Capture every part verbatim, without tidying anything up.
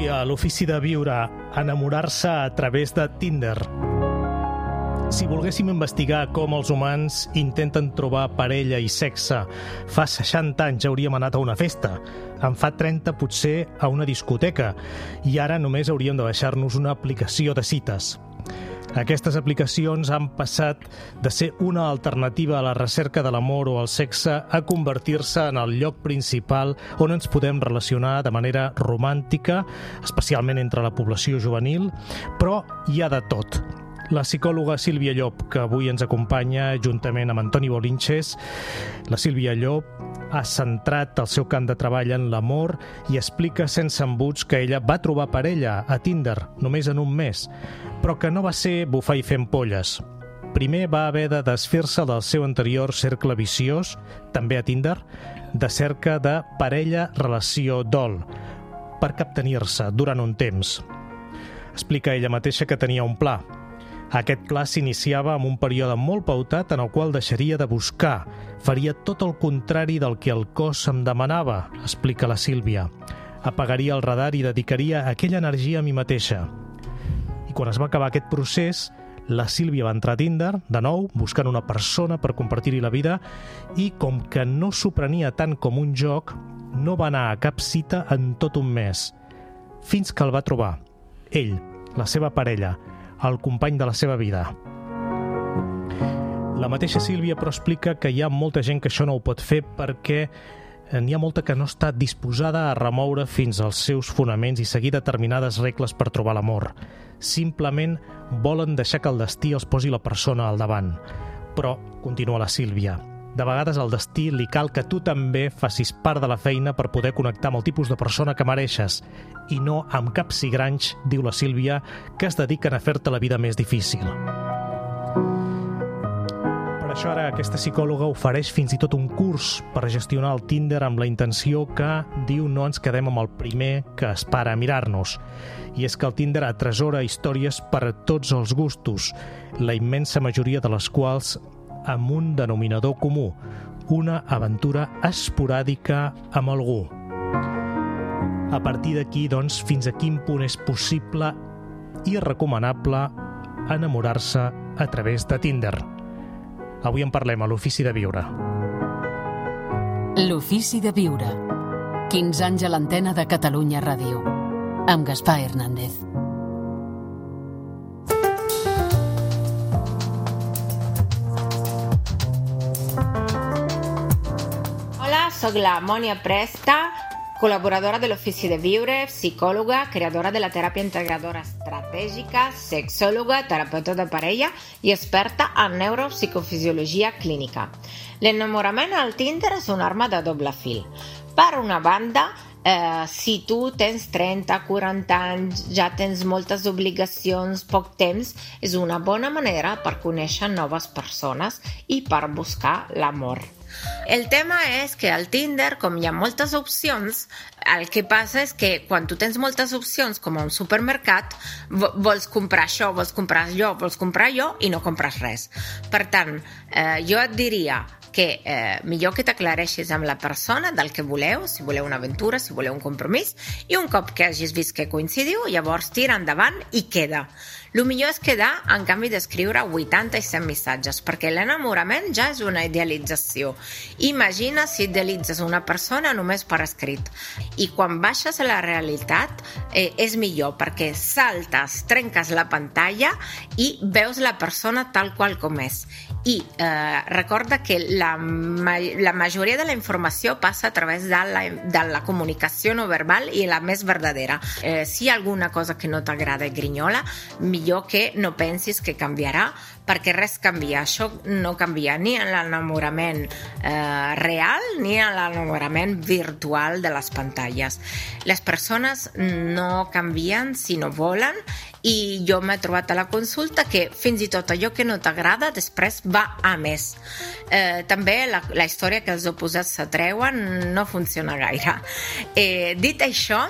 Avui a l'Ofici de Viure, enamorar-se a través de Tinder. Si volguéssim investigar com els humans intenten trobar parella i sexe, fa seixanta anys hauríem anat a una festa, en fa trenta potser a una discoteca, i ara només hauríem de baixar-nos una aplicació de cites. Aquestes aplicacions han passat de ser una alternativa a la recerca de l'amor o el sexe a convertir-se en el lloc principal on ens podem relacionar de manera romàntica, especialment entre la població juvenil, però hi ha de tot. La psicòloga Sílvia Llop, que avui ens acompanya juntament amb Antoni Bolinches. La Sílvia Llop ha centrat el seu camp de treball en l'amor i explica sense embuts que ella va trobar parella a Tinder només en un mes, però que no va ser bufar i fer ampolles. Primer va haver de desfer-se del seu anterior cercle viciós, també a Tinder, de cerca de parella relació dol, per captenir-se durant un temps. Explica ella mateixa que tenia un pla. Aquest pla s'iniciava amb un període molt pautat en el qual deixaria de buscar. Faria tot el contrari del que el cos em demanava, explica la Sílvia. Apagaria el radar i dedicaria aquella energia a mi mateixa. I quan es va acabar aquest procés, la Sílvia va entrar a Tinder, de nou, buscant una persona per compartir-hi la vida, i com que no s'ho prenia tant com un joc, no va anar a cap cita en tot un mes. Fins que el va trobar. Ell, la seva parella, el company de la seva vida. La mateixa Sílvia però explica que hi ha molta gent que això no ho pot fer perquè n'hi ha molta que no està disposada a remoure fins als seus fonaments i seguir determinades regles per trobar l'amor. Simplement volen deixar que el destí els posi la persona al davant. Però, continua la Sílvia, de vegades al destí li cal que tu també facis part de la feina per poder connectar amb el tipus de persona que mereixes i no amb caps i granys, diu la Sílvia, que es dediquen a fer-te la vida més difícil. Per això ara aquesta psicòloga ofereix fins i tot un curs per gestionar el Tinder amb la intenció que, diu, no ens quedem amb el primer que es para a mirar-nos. I és que el Tinder atresora històries per a tots els gustos, la immensa majoria de les quals amb un denominador comú, una aventura esporàdica amb algú. A partir d'aquí, doncs, fins a quin punt és possible i recomanable enamorar-se a través de Tinder. Avui en parlem a l'Ofici de Viure. L'Ofici de Viure. quinze anys a l'antena de Catalunya Ràdio. Amb Gaspar Hernández. Soc la Mònia Presta, col·laboradora de l'Ofici de Viure, psicòloga, creadora de la teràpia integradora estratègica, sexòloga, terapeuta de parella i experta en neuropsicofisiologia clínica. L'enamorament al Tinder és una arma de doble fil. Per una banda, eh, si tu tens trenta, quaranta anys, ja tens moltes obligacions, poc temps, és una bona manera per conèixer noves persones i per buscar l'amor. El tema és que al Tinder, com hi ha moltes opcions, el que passa és que quan tu tens moltes opcions, com a un supermercat, vols comprar això, vols comprar allò, vols comprar allò i no compres res. Per tant, eh, jo et diria que eh, millor que t'aclareixis amb la persona del que voleu, si voleu una aventura, si voleu un compromís, i un cop que hagis vist que coincidiu, llavors tira endavant i queda. El millor és quedar, en canvi d'escriure vuitanta i cent missatges, perquè l'enamorament ja és una idealització. Imagina si idealitzes una persona només per escrit. I quan baixes a la realitat eh, és millor, perquè saltes, trenques la pantalla i veus la persona tal qual com és. I eh, recorda que la, ma la majoria de la informació passa a través de la, de la comunicació no verbal i la més verdadera. Eh, si hi ha alguna cosa que no t'agrada i grinyola, millor que no pensis que canviarà, perquè res canvia. Això no canvia ni en l'enamorament eh, real ni en l'enamorament virtual de les pantalles. Les persones no canvien si no volen, i jo m'he trobat a la consulta que fins i tot allò que no t'agrada després va a més. Eh, també la, la història que els oposats s'atreuen no funciona gaire. Eh, dit això,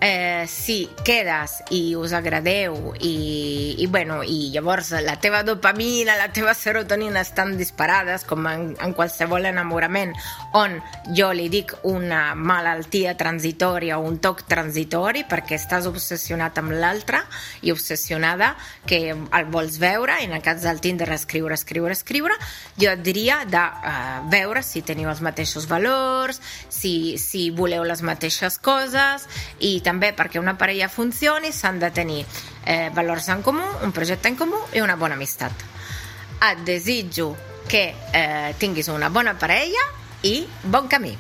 eh, si quedes i us agradeu i, i, bueno, i llavors la teva dopamina, la teva serotonina estan disparades com en, en qualsevol enamorament, on jo li dic una malaltia transitòria o un toc transitori perquè estàs obsessionat amb l'altre i obsessionada que el vols veure, i en el cas del Tinder escriure, escriure, escriure, jo et diria de uh, veure si teniu els mateixos valors, si, si voleu les mateixes coses, i també perquè una parella funcioni s'han de tenir eh, valors en comú, un projecte en comú i una bona amistat. Et desitjo que eh, tinguis una bona parella i bon camí.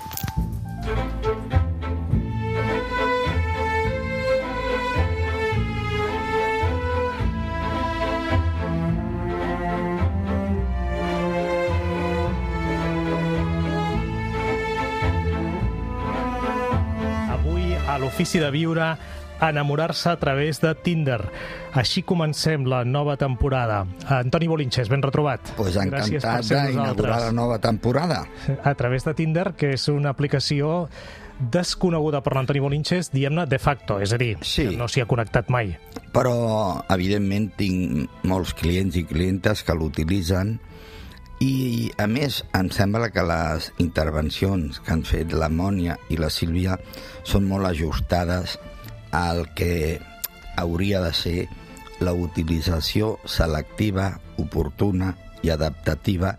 A l'Ofici de Viure, enamorar-se a través de Tinder. Així comencem la nova temporada. Antoni Bolinches, ben retrobat. Pues encantat d'inaugurar la nova temporada. A través de Tinder, que és una aplicació desconeguda per l'Antoni Bolinches, diguem-ne, de facto, és a dir, sí, que no s'hi ha connectat mai. Però, evidentment, tinc molts clients i clientes que l'utilitzen i, a més, em sembla que les intervencions que han fet la Mònia i la Sílvia són molt ajustades al que hauria de ser la utilització selectiva, oportuna i adaptativa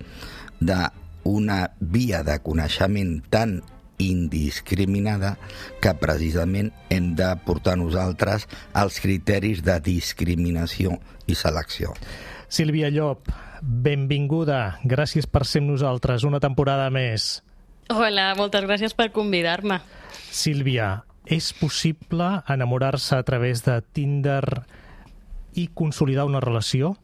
d'una via de coneixement tan indiscriminada que precisament hem de portar nosaltres als criteris de discriminació i selecció. Sílvia Llop, benvinguda. Gràcies per ser amb nosaltres una temporada més. Hola, moltes gràcies per convidar-me. Sílvia, és possible enamorar-se a través de Tinder i consolidar una relació?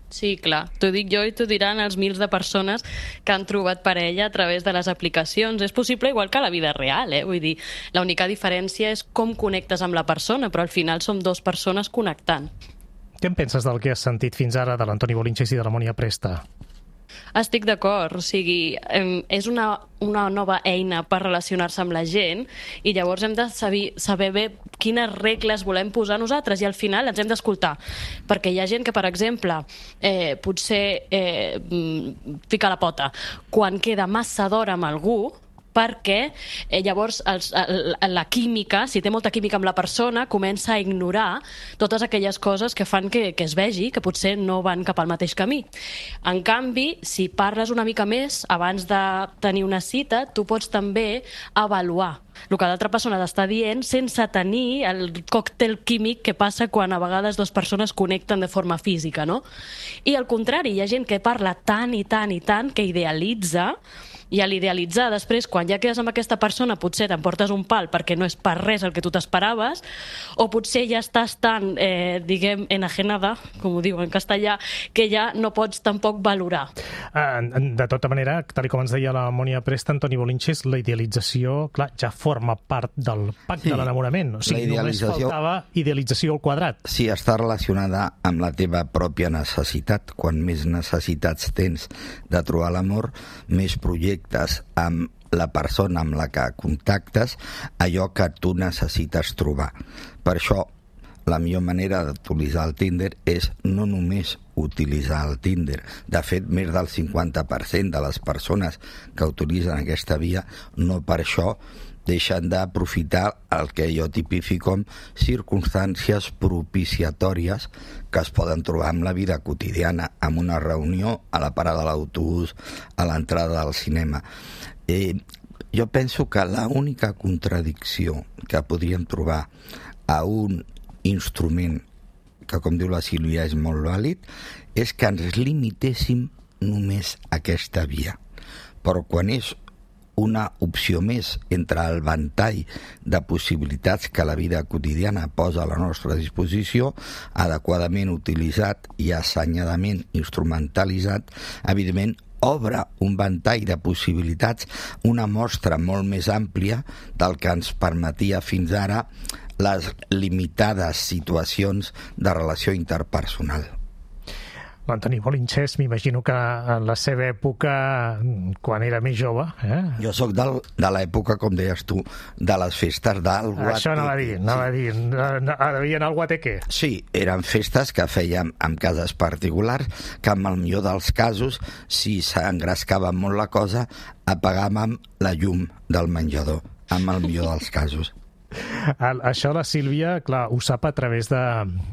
Sí, clar. T'ho dic jo i t'ho diran els mils de persones que han trobat parella a través de les aplicacions. És possible igual que a la vida real, eh? Vull dir, l'única diferència és com connectes amb la persona, però al final som dues persones connectant. Què en penses del que has sentit fins ara de l'Antoni Bolinches i de la Mònia Presta? Estic d'acord, o sigui, és una, una nova eina per relacionar-se amb la gent i llavors hem de saber, saber bé quines regles volem posar nosaltres i al final ens hem d'escoltar, perquè hi ha gent que, per exemple, eh, potser eh, fica la pota quan queda massa d'hora amb algú, perquè eh, llavors els, la química, si té molta química amb la persona, comença a ignorar totes aquelles coses que fan que, que es vegi que potser no van cap al mateix camí. En canvi, si parles una mica més abans de tenir una cita, tu pots també avaluar el que l'altra persona t'està dient sense tenir el còctel químic que passa quan a vegades dues persones connecten de forma física, no? I al contrari, hi ha gent que parla tant i tant i tant que idealitza, i a l'idealitzar després, quan ja quedes amb aquesta persona, potser t'emportes un pal perquè no és per res el que tu t'esperaves, o potser ja estàs tan, eh, diguem, enajenada, com ho diu en castellà, que ja no pots tampoc valorar. De tota manera, tal com ens deia la Mònia Presta, Antoni Bolinches, la idealització, clar, ja forma part del pacte sí, de l'enamorament. O sigui, només faltava idealització al quadrat. Sí, està relacionada amb la teva pròpia necessitat. Quan més necessitats tens de trobar l'amor, més projectes amb la persona amb la que contactes allò que tu necessites trobar. Per això, la millor manera d'utilitzar el Tinder és no només utilitzar el Tinder. De fet, més del cinquanta per cent de les persones que utilitzen aquesta via no per això deixen d'aprofitar el que jo tipifico com circumstàncies propiciatòries que es poden trobar en la vida quotidiana, en una reunió, a la parada de l'autobús, a l'entrada del cinema. Eh, jo penso que l'única contradicció que podríem trobar a un instrument que, com diu la Sílvia, és molt vàlid, és que ens limitéssim només a aquesta via. Però quan és una opció més entre el ventall de possibilitats que la vida quotidiana posa a la nostra disposició, adequadament utilitzat i assenyadament instrumentalitzat, evidentment obre un ventall de possibilitats, una mostra molt més àmplia del que ens permetia fins ara les limitades situacions de relació interpersonal. l'Antoni Bolinxés, m'imagino que en la seva època, quan era més jove... Eh? Jo sóc del, de l'època, com deies tu, de les festes del Guateque. Això anava a dir, anava sí. a dir. Havia anar al Guateque. Sí, eren festes que fèiem en cases particulars, que en el millor dels casos, si s'engrescava molt la cosa, apagàvem la llum del menjador, en el millor dels casos. Això la Sílvia, clar, ho sap a través de,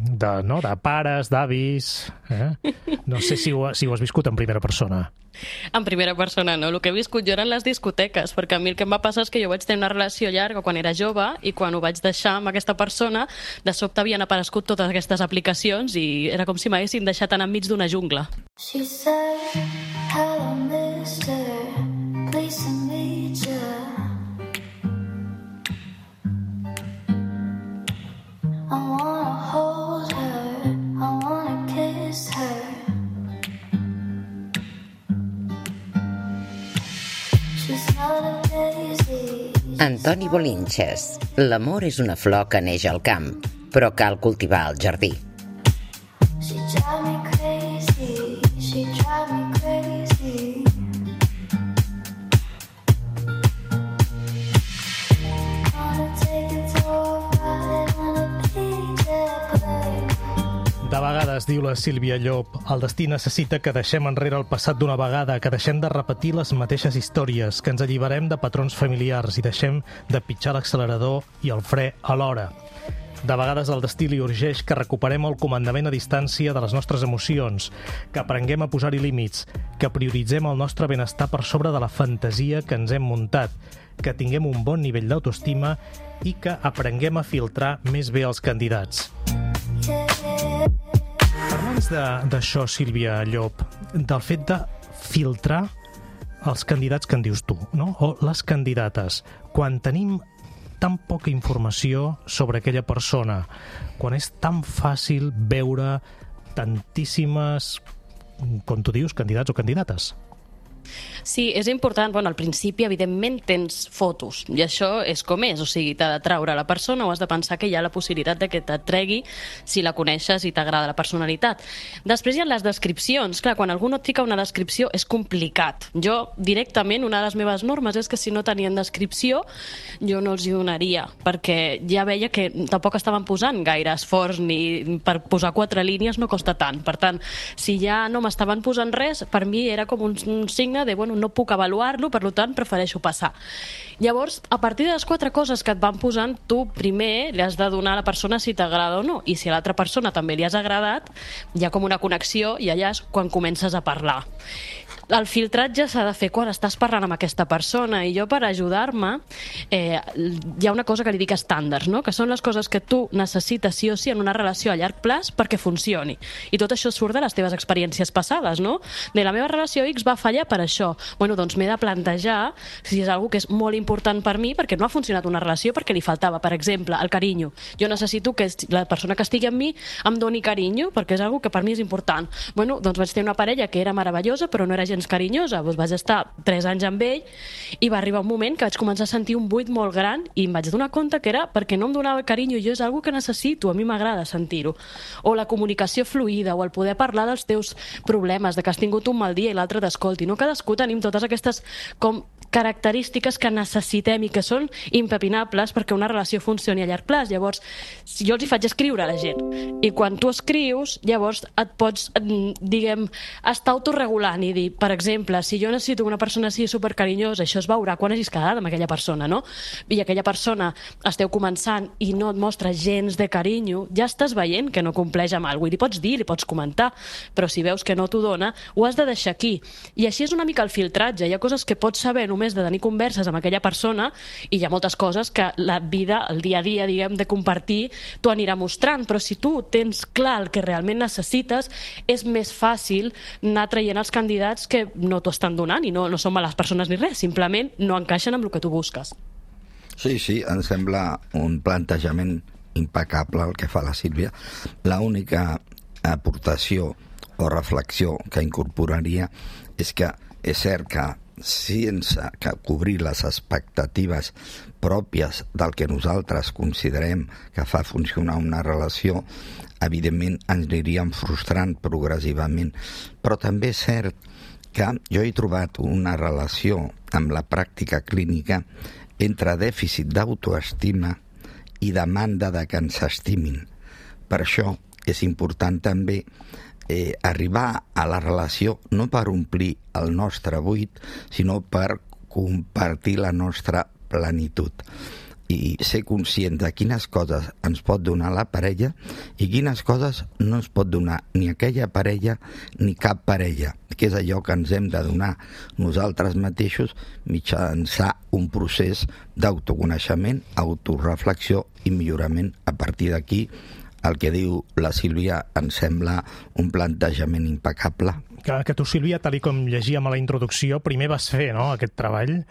de, no, de pares, d'avis... Eh? No sé si ho, si ho has viscut en primera persona. En primera persona no, el que he viscut jo eren les discoteques, perquè a mi el que em va passar és que jo vaig tenir una relació llarga quan era jove i quan ho vaig deixar amb aquesta persona, de sobte havien aparegut totes aquestes aplicacions i era com si m'haguessin deixat anar enmig d'una jungla. She said, hello mister, please to meet you. I wanna hold her, I wanna kiss her. She's not a daisy. Antoni Bolinxés. L'amor és una flor que neix al camp, però cal cultivar al jardí. She drive me crazy, she drive me crazy. De vegades, diu la Sílvia Llop, el destí necessita que deixem enrere el passat d'una vegada, que deixem de repetir les mateixes històries, que ens alliberem de patrons familiars i deixem de pitjar l'accelerador i el fre alhora. De vegades el destí li urgeix que recuperem el comandament a distància de les nostres emocions, que aprenguem a posar-hi límits, que prioritzem el nostre benestar per sobre de la fantasia que ens hem muntat, que tinguem un bon nivell d'autoestima i que aprenguem a filtrar més bé els candidats. Parla'ns d'això, Sílvia Llop, del fet de filtrar els candidats que en dius tu, no? O les candidates. Quan tenim tan poca informació sobre aquella persona, quan és tan fàcil veure tantíssimes, com tu dius, candidats o candidates. Sí, és important. Bueno, al principi, evidentment, tens fotos, i això és com és, o sigui, t'ha de traure la persona o has de pensar que hi ha la possibilitat de que t'atregui si la coneixes i t'agrada la personalitat. Després hi ha les descripcions. Clar, quan algú no et fica una descripció és complicat. Jo, directament, una de les meves normes és que si no tenien descripció, jo no els hi donaria, perquè ja veia que tampoc estaven posant gaire esforç, ni per posar quatre línies no costa tant. Per tant, si ja no m'estaven posant res, per mi era com un, un signe de, bueno, no puc avaluar-lo, per tant, prefereixo passar. Llavors, a partir de les quatre coses que et van posant, tu primer li has de donar a la persona si t'agrada o no, i si a l'altra persona també li has agradat, hi ha com una connexió i allà és quan comences a parlar. El filtratge s'ha de fer quan estàs parlant amb aquesta persona, i jo, per ajudar-me, eh, hi ha una cosa que li dic estàndards, no? Que són les coses que tu necessites sí o sí en una relació a llarg plaç perquè funcioni. I tot això surt de les teves experiències passades, no? De la meva relació X va fallar per això. Bueno, doncs m'he de plantejar si és una que és molt important per mi, perquè no ha funcionat una relació perquè li faltava, per exemple, el carinyo. Jo necessito que la persona que estigui amb mi em doni carinyo, perquè és una que per mi és important. Bueno, doncs vaig tenir una parella que era meravellosa, però no era gens carinyosa. Doncs vaig estar tres anys amb ell i va arribar un moment que vaig començar a sentir un buit molt gran i em vaig donar compte que era perquè no em donava carinyo, i jo és una que necessito, a mi m'agrada sentir-ho. O la comunicació fluida, o el poder parlar dels teus problemes, de que has tingut un mal dia i l'altre t'escolti. No cadascú tenim totes aquestes com característiques que necessitem i que són impepinables perquè una relació funcioni a llarg plaç. Llavors, si jo els hi faig escriure a la gent, i quan tu escrius, llavors et pots, diguem, estar autorregulant i dir, per exemple, si jo necessito una persona així supercarinyosa, això es veurà quan hagis quedat amb aquella persona, no? I aquella persona esteu començant i no et mostra gens de carinyo, ja estàs veient que no compleix amb alguna cosa, i li pots dir, li pots comentar, però si veus que no t'ho dona, ho has de deixar aquí. I així és una mica el filtratge. Hi ha coses que pots saber només de tenir converses amb aquella persona, i hi ha moltes coses que la vida, el dia a dia, diguem, de compartir, t'ho anirà mostrant, però si tu tens clar el que realment necessites, és més fàcil anar traient els candidats que no t'ho estan donant, i no, no són males persones ni res, simplement no encaixen amb el que tu busques. Sí, sí, em sembla un plantejament impecable el que fa la Sílvia. L'única aportació o reflexió que incorporaria és que és cert que sense que cobrir les expectatives pròpies del que nosaltres considerem que fa funcionar una relació, evidentment ens aniríem frustrant progressivament. Però també és cert que jo he trobat una relació amb la pràctica clínica entre dèficit d'autoestima i demanda de que ens estimin. Per això és important també eh, arribar a la relació no per omplir el nostre buit, sinó per compartir la nostra plenitud i ser conscient de quines coses ens pot donar la parella i quines coses no ens pot donar ni aquella parella ni cap parella, que és allò que ens hem de donar nosaltres mateixos mitjançant un procés d'autoconeixement, autoreflexió i millorament. A partir d'aquí, el que diu la Sílvia em sembla un plantejament impecable. Que, que tu, Sílvia, tal com llegíem a la introducció, primer vas fer, no?, aquest treball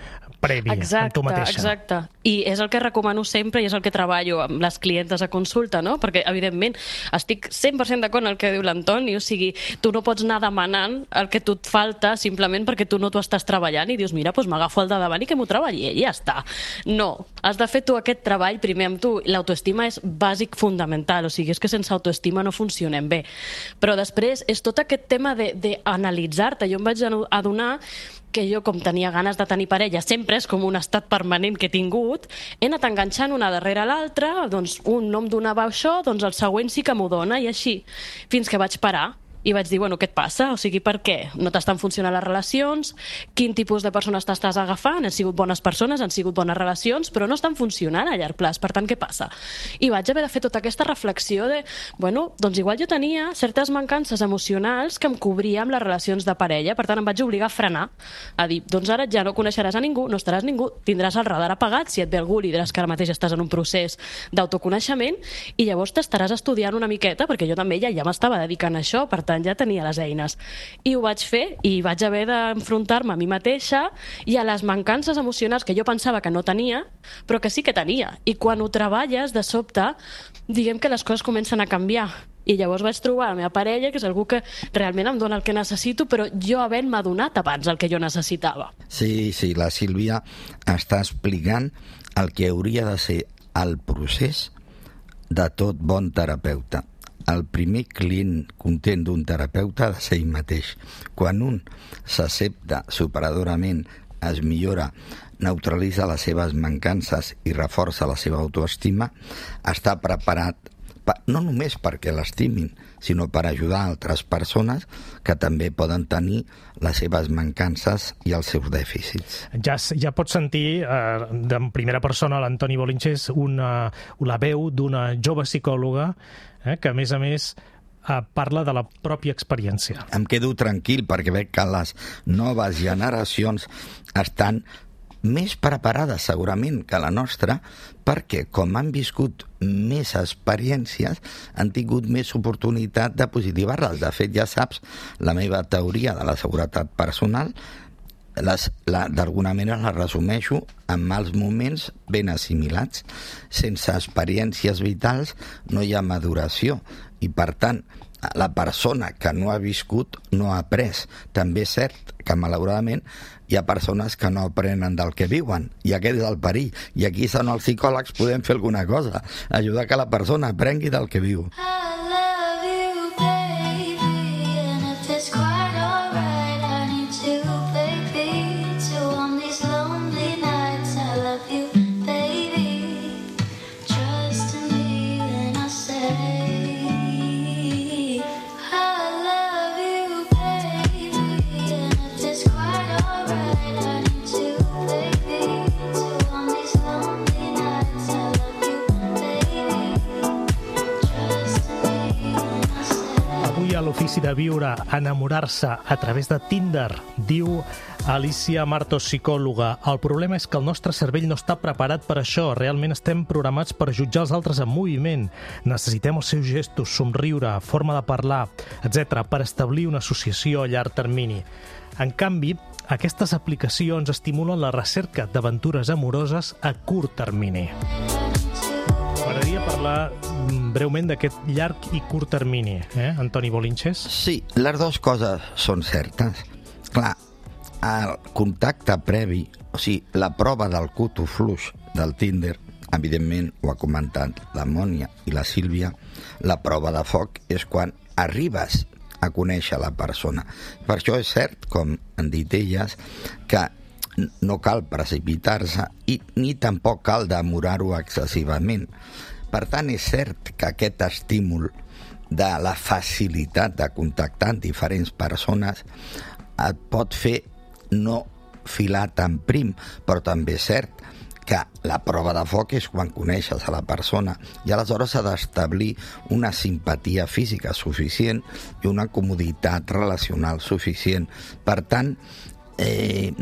previ exacte, amb tu mateixa. Exacte, i és el que recomano sempre i és el que treballo amb les clientes a consulta, no?, perquè, evidentment, estic cent per cent d'acord amb el que diu l'Antoni, o sigui, tu no pots anar demanant el que tu et falta simplement perquè tu no t'ho estàs treballant i dius, mira, doncs m'agafo el de davant i que m'ho treballi i ja està. No, has de fer tu aquest treball primer amb tu. L'autoestima és bàsic, fundamental, o sigui, és que sense autoestima no funcionem bé. Però després és tot aquest tema de, de analitzar-te. Jo em vaig adonar que jo, com tenia ganes de tenir parella, sempre és com un estat permanent que he tingut, he anat enganxant una darrere l'altra, doncs un no em donava això, doncs el següent sí que m'ho dona, i així, fins que vaig parar. I vaig dir, bueno, què et passa? O sigui, per què? No t'estan funcionant les relacions? Quin tipus de persones t'estàs agafant? Han sigut bones persones, han sigut bones relacions, però no estan funcionant a llarg plaç. Per tant, què passa? I vaig haver de fer tota aquesta reflexió de, bueno, doncs igual jo tenia certes mancances emocionals que em cobria amb les relacions de parella, per tant em vaig obligar a frenar, a dir, doncs ara ja no coneixeràs a ningú, no estaràs ningú, tindràs el radar apagat, si et ve algú li diràs que ara mateix estàs en un procés d'autoconeixement i llavors t'estaràs estudiant una miqueta, perquè jo també ja, ja m'estava dedicant a això, per tant ja tenia les eines. I ho vaig fer i vaig haver d'enfrontar-me a mi mateixa i a les mancances emocionals que jo pensava que no tenia, però que sí que tenia. I quan ho treballes, de sobte, diguem que les coses comencen a canviar. I llavors vaig trobar la meva parella, que és algú que realment em dona el que necessito, però jo havent-me donat abans el que jo necessitava. Sí, sí, la Sílvia està explicant el que hauria de ser el procés de tot bon terapeuta. El primer client content d'un terapeuta ha de ser ell mateix. Quan un s'accepta superadorament, es millora, neutralitza les seves mancances i reforça la seva autoestima, està preparat no només perquè l'estimin, sinó per ajudar altres persones que també poden tenir les seves mancances i els seus dèficits. Ja, ja pots sentir eh, de primera persona l'Antoni Bolinches una, la veu d'una jove psicòloga eh, que, a més a més, eh, parla de la pròpia experiència. Em quedo tranquil perquè veig que les noves generacions estan més preparades segurament que la nostra, perquè com han viscut més experiències han tingut més oportunitat de positivar-les. De fet, ja saps, la meva teoria de la seguretat personal d'alguna manera la resumeixo amb mals moments ben assimilats. Sense experiències vitals no hi ha maduració i, per tant, la persona que no ha viscut no ha après. També és cert que, malauradament, hi ha persones que no aprenen del que viuen, i aquest és el perill. I aquí són els psicòlegs, podem fer alguna cosa, ajudar que la persona aprengui del que viu. L'ofici de viure, enamorar-se a través de Tinder, diu Alicia Martos, psicòloga. El problema és que el nostre cervell no està preparat per això. Realment estem programats per jutjar els altres en moviment. Necessitem els seus gestos, somriure, forma de parlar, etcètera, per establir una associació a llarg termini. En canvi, aquestes aplicacions estimulen la recerca d'aventures amoroses a curt termini. M'agradaria parlar breument d'aquest llarg i curt termini, eh, Antoni Bolinches? Sí, les dues coses són certes. Clar, el contacte previ, o sigui, la prova del cuto fluix del Tinder, evidentment, ho ha comentat la Mònia i la Sílvia, la prova de foc és quan arribes a conèixer la persona. Per això és cert, com han dit elles, que no cal precipitar-se i ni tampoc cal demorar-ho excessivament. Per tant, és cert que aquest estímul de la facilitat de contactar amb diferents persones et pot fer no filar tan prim, però també és cert que la prova de foc és quan coneixes a la persona i aleshores s'ha d'establir una simpatia física suficient i una comoditat relacional suficient. Per tant, eh,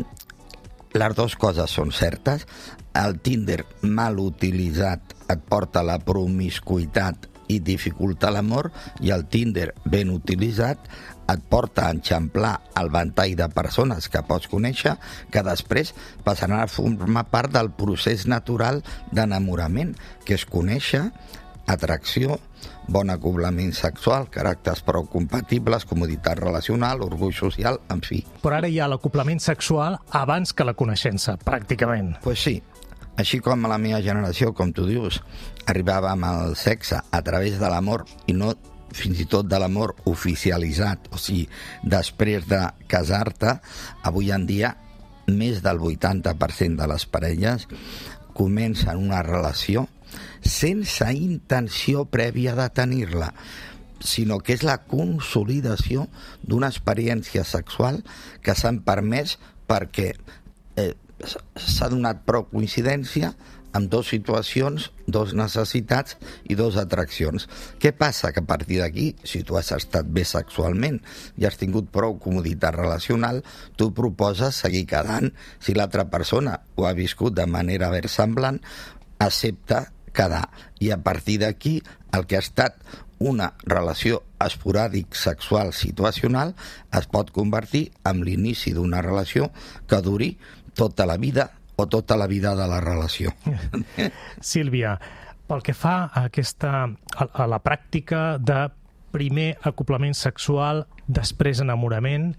les dues coses són certes. El Tinder mal utilitzat et porta a la promiscuïtat i dificulta l'amor, i el Tinder ben utilitzat et porta a enxamplar el ventall de persones que pots conèixer, que després passaran a formar part del procés natural d'enamorament, que és conèixer, atracció, bon acoblament sexual, caràcters prou compatibles, comoditat relacional, orgull social, en fi. Però ara hi ha l'acoblament sexual abans que la coneixença, pràcticament. Pues sí. Així com a la meva generació, com tu dius, arribàvem al sexe a través de l'amor i no fins i tot de l'amor oficialitzat, o sigui, després de casar-te, avui en dia més del vuitanta per cent de les parelles comencen una relació sense intenció prèvia de tenir-la, sinó que és la consolidació d'una experiència sexual que s'han permès perquè eh, s'ha donat prou coincidència amb dues situacions, dues necessitats i dues atraccions. Què passa? Que a partir d'aquí, si tu has estat bé sexualment i has tingut prou comoditat relacional, tu proposes seguir quedant. Si l'altra persona ho ha viscut de manera versemblant, accepta quedar. I a partir d'aquí, el que ha estat una relació esporàdic sexual situacional es pot convertir en l'inici d'una relació que duri tota la vida o tota la vida de la relació. Sílvia, pel que fa a, aquesta, a, a la pràctica de primer acoblament sexual, després enamorament,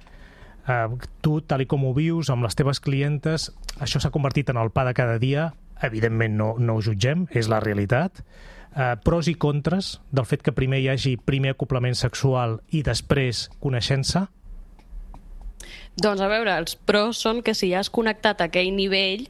eh, tu, tal i com ho vius amb les teves clientes, això s'ha convertit en el pa de cada dia. Evidentment no, no ho jutgem, és la realitat. Eh, pros i contres del fet que primer hi hagi primer acoblament sexual i després coneixença? Doncs a veure, els pros són que si ja has connectat a aquell nivell,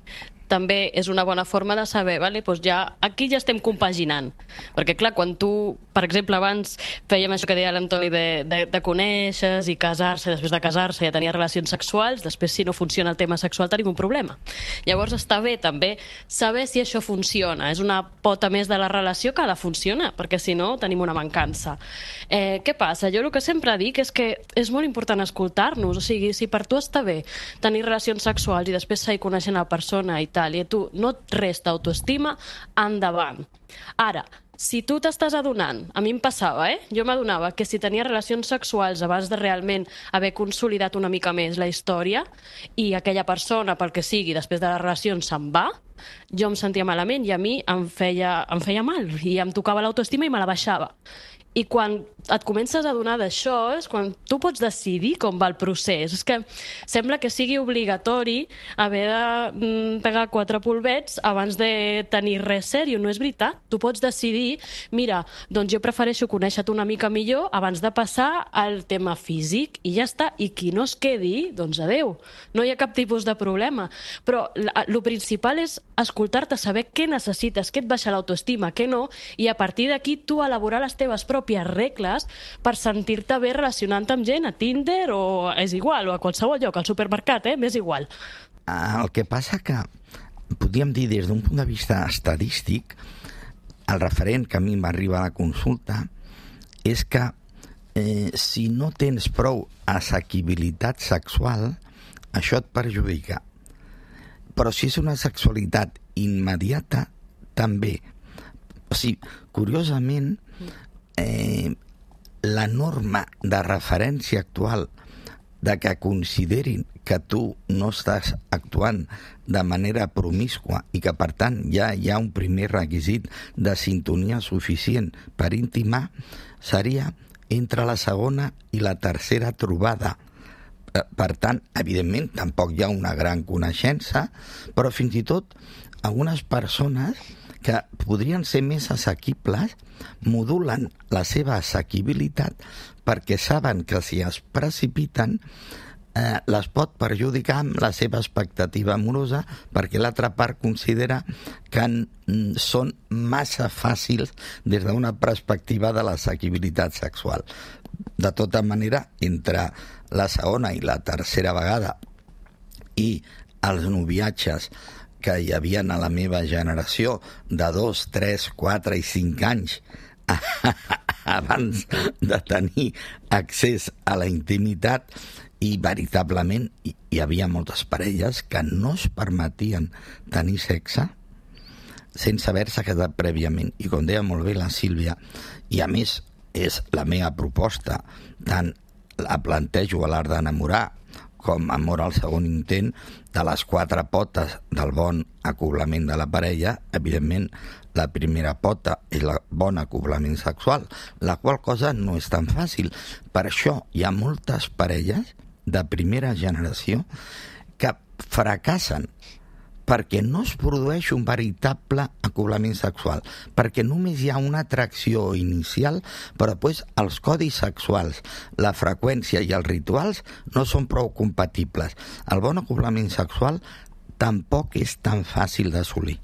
també és una bona forma de saber, vale? Doncs ja, aquí ja estem compaginant. Perquè, clar, quan tu, per exemple, abans fèiem això que deia l'Antoni de, de, de conèixer i casar-se, després de casar-se ja tenia relacions sexuals, després si no funciona el tema sexual tenim un problema. Llavors està bé també saber si això funciona. És una pota més de la relació que ha de funcionar, perquè si no tenim una mancança. Eh, què passa? Jo el que sempre dic és que és molt important escoltar-nos, o sigui, si per tu està bé tenir relacions sexuals i després seguir coneixent la persona i tal, i a tu no et resta autoestima, endavant. Ara, si tu t'estàs adonant, a mi em passava, eh? Jo m'adonava que si tenia relacions sexuals abans de realment haver consolidat una mica més la història i aquella persona, pel que sigui, després de les relacions se'n va, jo em sentia malament i a mi em feia, em feia mal i em tocava l'autoestima i me la baixava. I quan et comences a adonar d'això és quan tu pots decidir com va el procés. És que sembla que sigui obligatori haver de mm, pegar quatre polvets abans de tenir res sèrio. No és veritat. Tu pots decidir, mira, doncs jo prefereixo conèixer-te una mica millor abans de passar al tema físic i ja està. I qui no es quedi, doncs adeu. No hi ha cap tipus de problema. Però el principal és escoltar-te, saber què necessites, què et baixa l'autoestima, què no, i a partir d'aquí tu elaborar les teves pròpies regles per sentir-te bé relacionant amb gent a Tinder o és igual, o a qualsevol lloc, al supermercat, eh? M'és igual. El que passa que podríem dir des d'un punt de vista estadístic, el referent que a mi m'arriba a la consulta és que eh, si no tens prou assequibilitat sexual, això et perjudica. Però si és una sexualitat immediata, també. O sigui, curiosament, Eh, la norma de referència actual de que considerin que tu no estàs actuant de manera promíscua i que per tant ja hi ha un primer requisit de sintonia suficient per intimar seria entre la segona i la tercera trobada. Per tant, evidentment, tampoc hi ha una gran coneixença, però fins i tot algunes persones que podrien ser més assequibles, modulen la seva assequibilitat perquè saben que si es precipiten eh, les pot perjudicar amb la seva expectativa amorosa perquè l'altra part considera que n- són massa fàcils des d'una perspectiva de l'assequibilitat sexual. De tota manera, entre la segona i la tercera vegada i els noviatges que hi havia a la meva generació de dos, tres, quatre i cinc anys abans de tenir accés a la intimitat, i veritablement hi havia moltes parelles que no es permetien tenir sexe sense haver-se casat prèviament. I com deia molt bé la Sílvia, i a més és la meva proposta, tant la plantejo a l'art d'enamorar com Amor al segon intent, de les quatre potes del bon acoblament de la parella, evidentment la primera pota és el bon acoblament sexual, la qual cosa no és tan fàcil. Per això hi ha moltes parelles de primera generació que fracassen perquè no es produeix un veritable acoblament sexual, perquè només hi ha una atracció inicial, però després els codis sexuals, la freqüència i els rituals no són prou compatibles. El bon acoblament sexual tampoc és tan fàcil d'assolir.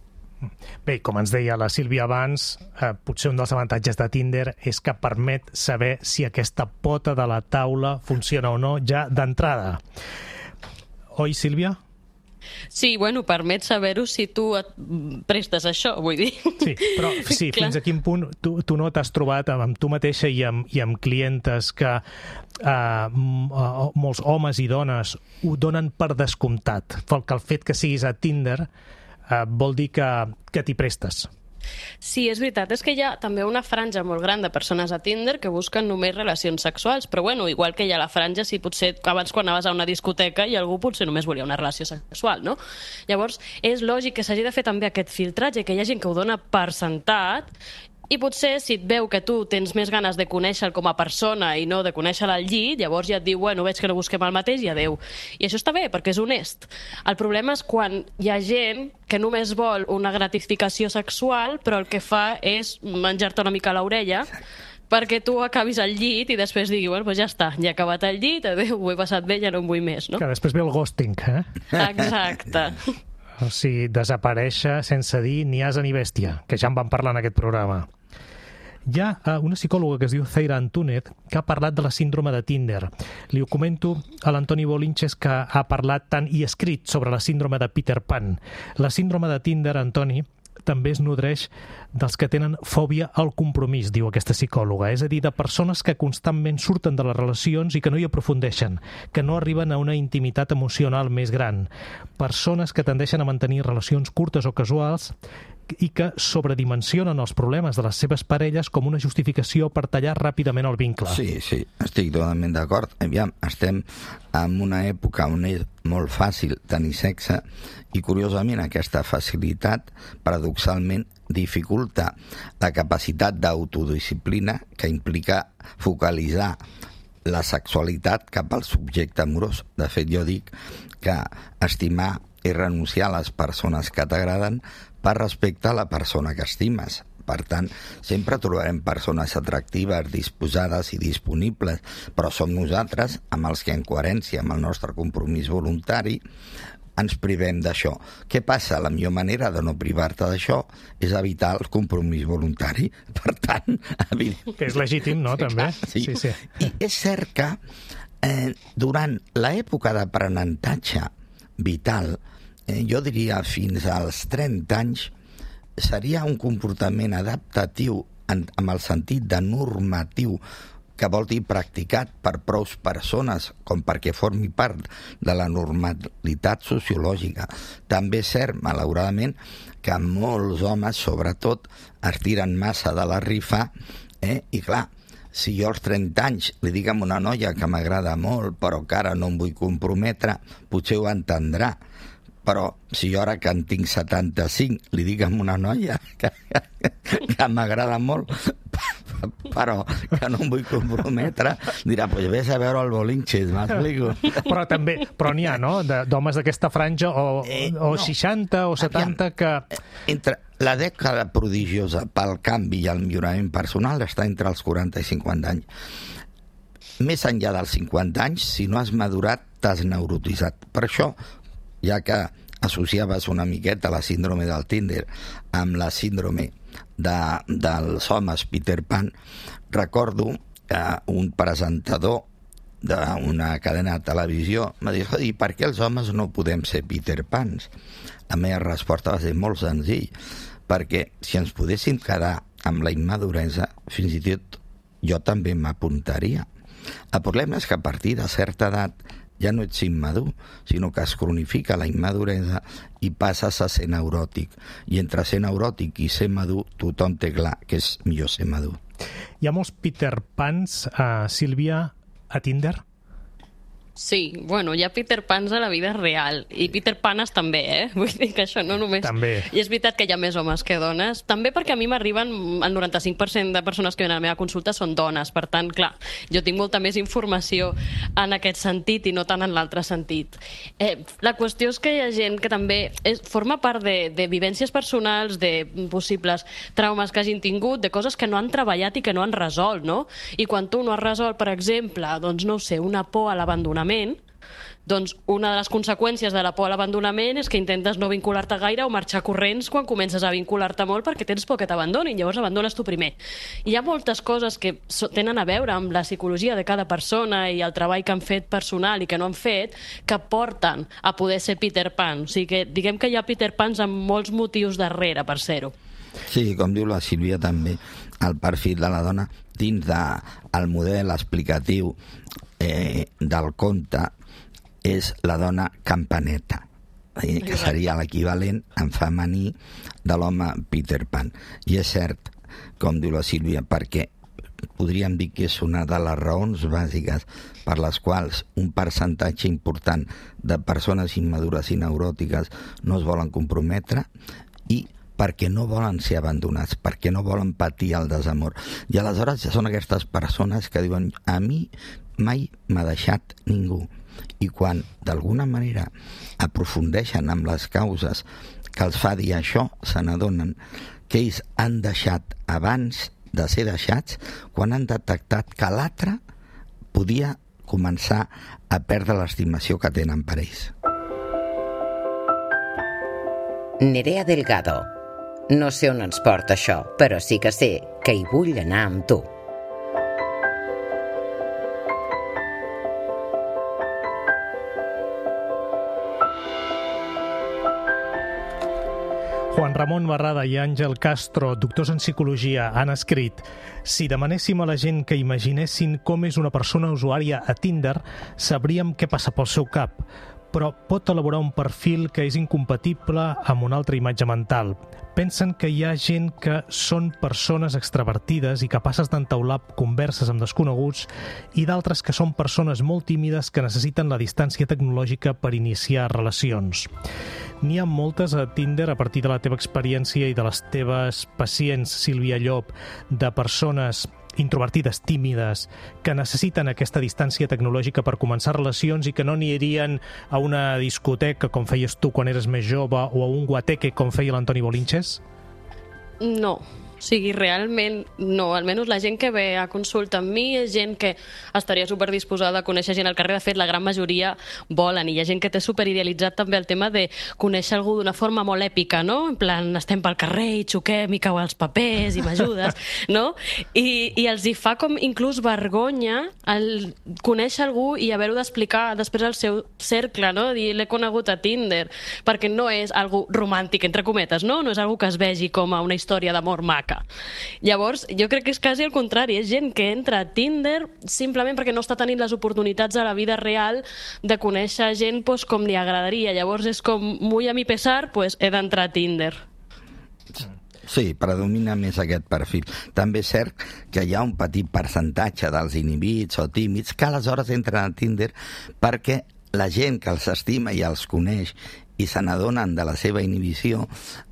Bé, com ens deia la Sílvia abans, eh, potser un dels avantatges de Tinder és que permet saber si aquesta pota de la taula funciona o no ja d'entrada. Oi, Sílvia? Sí, bueno, permet saber-ho si tu et prestes a això, vull dir. Sí, però sí, fins a quin punt tu, tu no t'has trobat amb, amb tu mateixa i amb, i amb clientes que eh, molts homes i dones ho donen per descomptat, que el fet que siguis a Tinder eh, vol dir que, que t'hi prestes. Sí, és veritat, és que hi ha també una franja molt gran de persones a Tinder que busquen només relacions sexuals, però bueno, igual que hi ha la franja, si potser abans quan anaves a una discoteca i algú potser només volia una relació sexual, no? Llavors, és lògic que s'hagi de fer també aquest filtratge, que hi ha gent que ho dona per sentat, i potser si et veu que tu tens més ganes de conèixer-lo com a persona i no de conèixer-lo al llit, llavors ja et diu, bueno, veig que no busquem el mateix i adeu. I això està bé, perquè és honest. El problema és quan hi ha gent que només vol una gratificació sexual, però el que fa és menjar-te una mica a l'orella perquè tu acabis al llit i després digui, bueno, doncs ja està, ja he acabat al llit, adeu, ho he passat bé, ja no en vull més, no? Que després ve el ghosting, eh? Exacte. O sigui, desaparèixer sense dir ni asa ni bèstia, que ja en vam parlar en aquest programa. Hi ha una psicòloga que es diu Zaira Antúnez que ha parlat de la síndrome de Tinder. Li ho comento a l'Antoni Bolinches, que ha parlat tant i escrit sobre la síndrome de Peter Pan. La síndrome de Tinder, Antoni, també es nodreix dels que tenen fòbia al compromís, diu aquesta psicòloga. És a dir, de persones que constantment surten de les relacions i que no hi aprofundeixen, que no arriben a una intimitat emocional més gran. Persones que tendeixen a mantenir relacions curtes o casuals i que sobredimensionen els problemes de les seves parelles com una justificació per tallar ràpidament el vincle. Sí, sí, estic totalment d'acord. Aviam, estem en una època on és molt fàcil tenir sexe i, curiosament, aquesta facilitat, paradoxalment, dificulta la capacitat d'autodisciplina que implica focalitzar la sexualitat cap al subjecte amorós. De fet, jo dic que estimar és renunciar a les persones que t'agraden per respecte a la persona que estimes. Per tant, sempre trobarem persones atractives, disposades i disponibles, però som nosaltres, amb els que en coherència amb el nostre compromís voluntari, ens privem d'això. Què passa? La millor manera de no privar-te d'això és evitar el compromís voluntari. Per tant, evident... Que és legítim, no?, també. Sí. Sí, sí. I és cert que eh, durant l'època d'aprenentatge vital, eh, jo diria fins als trenta anys, seria un comportament adaptatiu en, amb el sentit de normatiu, que vol dir practicat per prou persones com perquè formi part de la normalitat sociològica. També és cert, malauradament, que molts homes, sobretot, es tiren massa de la rifa, eh? I clar, si jo als trenta anys li dic a una noia que m'agrada molt però que ara no em vull comprometre, potser ho entendrà. Però si jo ara que en tinc setanta-cinc li dic a una noia que, que, que m'agrada molt, però que no em vull comprometre, dirà, pues vés a veure el Bolinches, m'explico? Però també, però n'hi ha, no?, d'homes d'aquesta franja, o, eh, o no. seixanta o setanta que... Entre la dècada prodigiosa pel canvi i el millorament personal està entre els quaranta i cinquanta anys. Més enllà dels cinquanta anys, si no has madurat, t'has neurotitzat. Per això, ja que associaves una miqueta la síndrome del Tinder amb la síndrome de, dels homes Peter Pan, recordo que un presentador d'una cadena de televisió m'ha dit, i per què els homes no podem ser Peter Pans? La meva resposta va ser molt senzill, perquè si ens podéssim quedar amb la immaduresa, fins i tot jo també m'apuntaria. El problema és que a partir de certa edat ja no ets immadur, sinó que es cronifica la immaduresa i passes a ser neuròtic. I entre ser neuròtic i ser madur, tothom té clar que és millor ser madur. Hi ha molts Peter Pans, uh, Sílvia, a Tinder? Sí, bueno, hi ha Peter Pans a la vida real, i Peter Panes també, eh? Vull dir que això no només... També. I és veritat que hi ha més homes que dones, també perquè a mi m'arriben, el noranta-cinc per cent de persones que venen a la meva consulta són dones, per tant, clar, jo tinc molta més informació en aquest sentit i no tant en l'altre sentit. Eh, la qüestió és que hi ha gent que també és, forma part de, de vivències personals, de possibles traumes que hagin tingut, de coses que no han treballat i que no han resolt, no? I quan tu no has resolt, per exemple, doncs no ho sé, una por a l'abandonament, doncs una de les conseqüències de la por a l'abandonament és que intentes no vincular-te gaire o marxar corrents quan comences a vincular-te molt perquè tens por que t'abandonin, llavors abandones tu primer. I hi ha moltes coses que tenen a veure amb la psicologia de cada persona i el treball que han fet personal i que no han fet, que porten a poder ser Peter Pan. O sigui que diguem que hi ha Peter Pans amb molts motius darrere per ser-ho. Sí, com diu la Sílvia també, el perfil de la dona dins del model explicatiu eh, del conte és la dona campaneta, eh, que seria l'equivalent en femení de l'home Peter Pan. I és cert, com diu la Sílvia, perquè podríem dir que és una de les raons bàsiques per les quals un percentatge important de persones immadures i neuròtiques no es volen comprometre, i perquè no volen ser abandonats, perquè no volen patir el desamor. I aleshores són aquestes persones que diuen, a mi mai m'ha deixat ningú. I quan d'alguna manera aprofundeixen amb les causes que els fa dir això, se n'adonen que ells han deixat abans de ser deixats, quan han detectat que l'altre podia començar a perdre l'estimació que tenen per ells. Nerea Delgado. No sé on ens porta això, però sí que sé que hi vull anar amb tu. Juan Ramon Barrada i Àngel Castro, doctors en psicologia, han escrit: si demanéssim a la gent que imaginessin com és una persona usuària a Tinder, sabríem què passa pel seu cap, però pot elaborar un perfil que és incompatible amb una altra imatge mental. Pensen que hi ha gent que són persones extravertides i capaces d'entaular converses amb desconeguts, i d'altres que són persones molt tímides que necessiten la distància tecnològica per iniciar relacions. N'hi ha moltes a Tinder, a partir de la teva experiència i de les teves pacients, Sílvia Llop, de persones introvertides, tímides, que necessiten aquesta distància tecnològica per començar relacions i que no anirien a una discoteca com feies tu quan eres més jove o a un guateque com feia l'Antoni Bolinches? No. O sigui, realment no. Almenys la gent que ve a consulta amb mi és gent que estaria superdisposada a conèixer gent al carrer. De fet, la gran majoria volen. I hi ha gent que té superidealitzat també el tema de conèixer algú d'una forma molt èpica, no? En plan, estem pel carrer i xoquem i cau els papers i m'ajudes, no? I, I els hi fa com inclús vergonya el conèixer algú i haver-ho d'explicar després al seu cercle, no? Dir, l'he conegut a Tinder, perquè no és algo romàntic, entre cometes, no? No és algo que es vegi com a una història d'amor mac. Llavors, jo crec que és quasi el contrari. És gent que entra a Tinder simplement perquè no està tenint les oportunitats a la vida real de conèixer gent pues, com li agradaria. Llavors és com, muy a mi pesar, pues, he d'entrar a Tinder. Sí, predomina més aquest perfil. També és cert que hi ha un petit percentatge dels inhibits o tímids que aleshores entren a Tinder perquè la gent que els estima i els coneix i se n'adonen de la seva inhibició,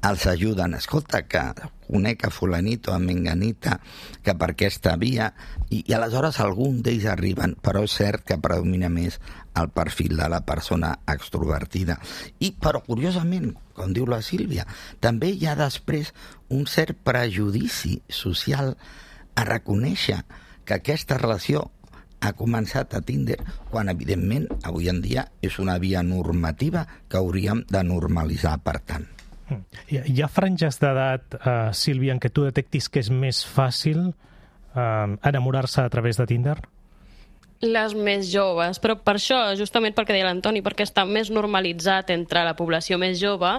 els ajuden. Escolta, que conec a fulanito, a menganita, que per aquesta via, i, i aleshores algun d'ells arriben, però és cert que predomina més el perfil de la persona extrovertida. I, però curiosament, com diu la Sílvia, també hi ha després un cert prejudici social a reconèixer que aquesta relació ha començat a Tinder, quan evidentment avui en dia és una via normativa que hauríem de normalitzar, per tant. Hi ha franges d'edat, uh, Sílvia, en què tu detectis que és més fàcil uh, enamorar-se a través de Tinder? Les més joves, però per això, justament perquè deia l'Antoni, perquè està més normalitzat entre la població més jove,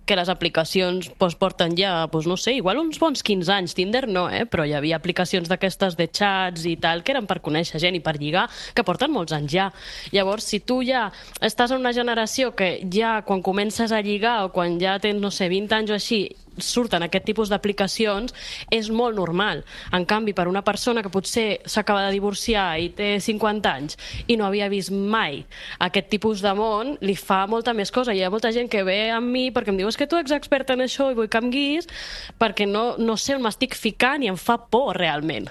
que les aplicacions doncs, porten ja, doncs, no sé, igual uns bons quinze anys. Tinder no, eh? Però hi havia aplicacions d'aquestes de xats i tal, que eren per conèixer gent i per lligar, que porten molts anys ja. Llavors, si tu ja estàs en una generació que ja quan comences a lligar o quan ja tens, no sé, vint anys o així, surten aquest tipus d'aplicacions, és molt normal. En canvi, per una persona que potser s'acaba de divorciar i té cinquanta anys i no havia vist mai aquest tipus de món, li fa molta més cosa. Hi ha molta gent que ve amb mi perquè em diu és que tu ets expert en això i vull que em guiïs perquè no, no sé on m'estic ficant i em fa por realment.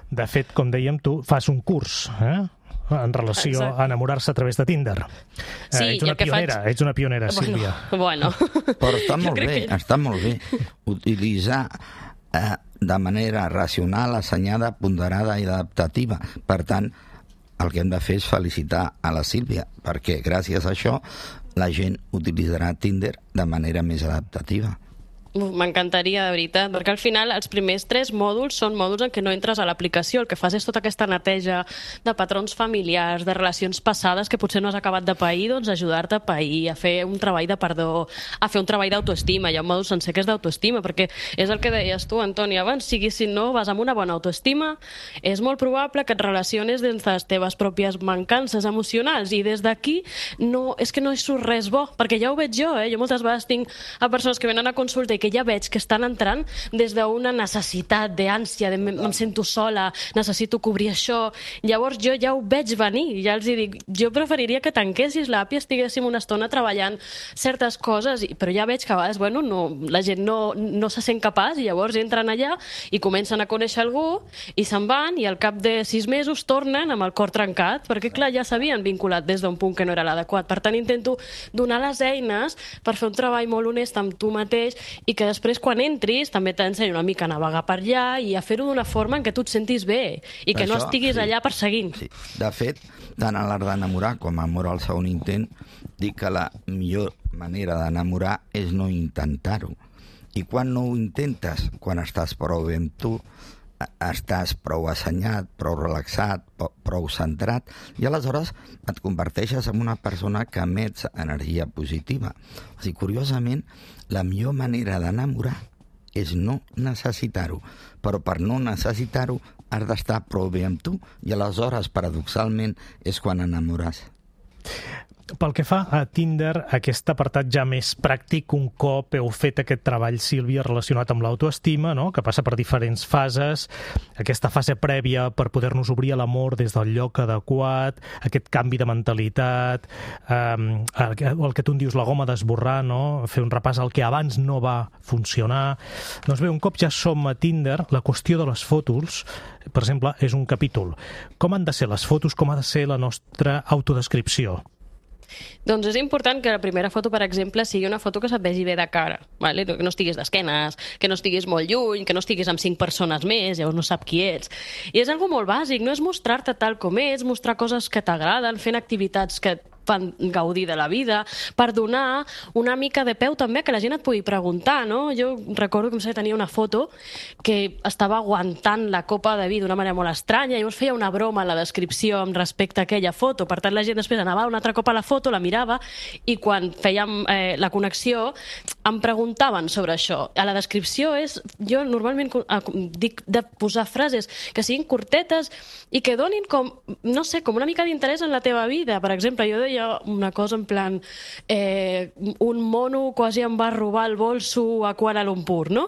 De fet, com dèiem, tu fas un curs, eh? en relació Exacte. a enamorar-se a través de Tinder. Sí, eh, ets una pionera, faig... ets una pionera, bueno, Sílvia. Bueno. Però està molt bé, que... està molt bé utilitzar eh, de manera racional, assenyada, ponderada i adaptativa. Per tant, el que hem de fer és felicitar a la Sílvia, perquè gràcies a això la gent utilitzarà Tinder de manera més adaptativa. M'encantaria, de veritat, perquè al final els primers tres mòduls són mòduls en què no entres a l'aplicació, el que fas és tota aquesta neteja de patrons familiars, de relacions passades que potser no has acabat de pair, doncs ajudar-te a pair, a fer un treball de perdó, a fer un treball d'autoestima. Hi ha un mòdul sencer que és d'autoestima, perquè és el que deies tu, Antoni, abans, sigui si no vas amb una bona autoestima, és molt probable que et relaciones des de les teves pròpies mancances emocionals, i des d'aquí no, és que no hi surt res bo, perquè ja ho veig jo, eh? Jo moltes vegades tinc a persones que venen a consulta i que ja veig que estan entrant des d'una necessitat, d'ànsia, de em sento sola, necessito cobrir això. Llavors jo ja ho veig venir, ja els dic, jo preferiria que tanquessis l'app i estiguéssim una estona treballant certes coses, però ja veig que a vegades, bueno, no, la gent no, no se sent capaç i llavors entren allà i comencen a conèixer algú i se'n van i al cap de sis mesos tornen amb el cor trencat, perquè clar, ja s'havien vinculat des d'un punt que no era l'adequat. Per tant, intento donar les eines per fer un treball molt honest amb tu mateix i que després quan entris també t'ensenyo una mica a navegar per allà i a fer-ho d'una forma en què tu et sentis bé i que Això, no estiguis sí. allà perseguint. Sí. De fet, tant a l'art d'enamorar com a amor al segon intent, dic que la millor manera d'enamorar és no intentar-ho. I quan no ho intentes? Quan estàs prou bé amb tu, estàs prou assenyat, prou relaxat, prou centrat, i aleshores et converteixes en una persona que emets energia positiva. O sigui, curiosament, la millor manera d'enamorar és no necessitar-ho, però per no necessitar-ho has d'estar prou bé amb tu, i aleshores, paradoxalment, és quan enamores. Pel que fa a Tinder, aquest apartat ja més pràctic, un cop heu fet aquest treball, Sílvia, relacionat amb l'autoestima, no? Que passa per diferents fases, aquesta fase prèvia per poder-nos obrir a l'amor des del lloc adequat, aquest canvi de mentalitat, eh, el que tu en dius, la goma d'esborrar, no? Fer un repàs al que abans no va funcionar. Doncs bé, un cop ja som a Tinder, la qüestió de les fotos, per exemple, és un capítol. Com han de ser les fotos, com ha de ser la nostra autodescripció? Doncs és important que la primera foto, per exemple, sigui una foto que se't vegi bé de cara, vale? Que no estiguis d'esquenes, que no estiguis molt lluny, que no estiguis amb cinc persones més, llavors no sap qui ets. I és algo molt bàsic, no és mostrar-te tal com ets, mostrar coses que t'agraden, fent activitats que fan gaudir de la vida, per donar una mica de peu també que la gent et pugui preguntar, no? Jo recordo que em tenia una foto que estava aguantant la copa de vi d'una manera molt estranya, i llavors feia una broma a la descripció amb respecte a aquella foto, per tant la gent després anava un altre cop a la foto, la mirava, i quan fèiem eh, la connexió em preguntaven sobre això. A la descripció és, jo normalment dic de posar frases que siguin curtetes i que donin com, no sé, com una mica d'interès en la teva vida. Per exemple, jo deia una cosa en plan eh, un mono quasi em va robar el bolso a Kuala Lumpur, no?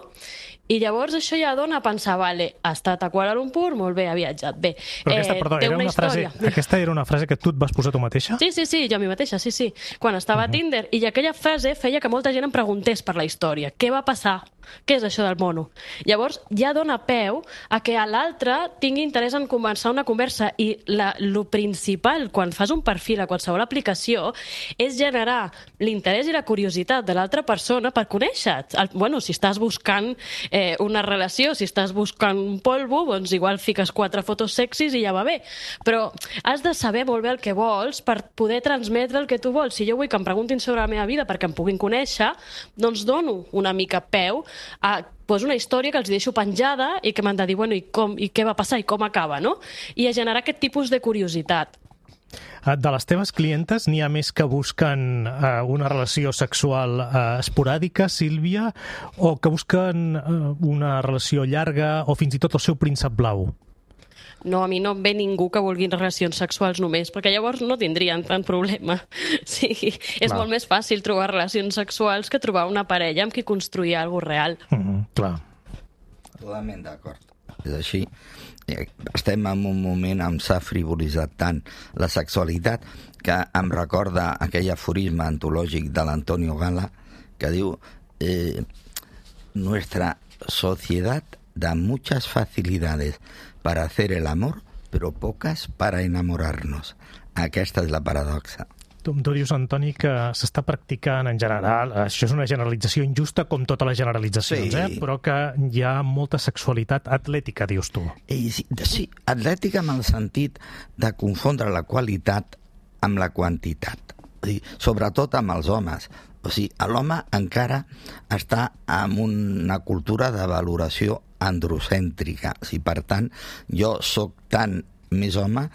I llavors això ja dona a pensar, vale, ha estat a Kuala Lumpur, molt bé, ha viatjat, bé. Però aquesta, perdó, té era una una frase, aquesta era una frase que tu et vas posar tu mateixa? Sí, sí, sí, jo a mi mateixa, sí, sí. Quan estava uh -huh. a Tinder, i aquella frase feia que molta gent em preguntés per la història. Què va passar? Què és això del mono? Llavors ja dona peu a que a l'altre tingui interès en començar una conversa, i la, lo principal quan fas un perfil a qualsevol aplicació és generar l'interès i la curiositat de l'altra persona per conèixer-te. El, bueno, si estàs buscant eh, una relació, si estàs buscant un polvo, doncs igual fiques quatre fotos sexis i ja va bé. Però has de saber molt bé el que vols per poder transmetre el que tu vols. Si jo vull que em preguntin sobre la meva vida perquè em puguin conèixer, doncs dono una mica peu a pues, una història que els deixo penjada i que m'han de dir, bueno, i, com, i què va passar i com acaba, no? I a generar aquest tipus de curiositat. De les teves clientes n'hi ha més que busquen uh, una relació sexual uh, esporàdica, Sílvia, o que busquen uh, una relació llarga o fins i tot el seu príncep blau? No, a mi no em ve ningú que vulgui relacions sexuals només, perquè llavors no tindrien tant problema. Sí, és clar. Molt més fàcil trobar relacions sexuals que trobar una parella amb qui construir alguna cosa real. Mm-hmm, clar. Totalment d'acord. És així. Estem en un moment on s'ha frivolitzat tant la sexualitat que em recorda aquell aforisme antològic de l'Antonio Gala que diu eh, nuestra sociedad da muchas facilidades para hacer el amor, pero pocas para enamorarnos. Aquesta és la paradoxa. Tu, tu dius, Antoni, que s'està practicant en general, això és una generalització injusta com totes les generalitzacions, sí. eh? Però que hi ha molta sexualitat atlètica, dius tu. I sí, sí, atlètica en el sentit de confondre la qualitat amb la quantitat. O sigui, sobretot amb els homes. O sigui, l'home encara està en una cultura de valoració androcèntrica. O sigui, per tant, jo sóc tant més home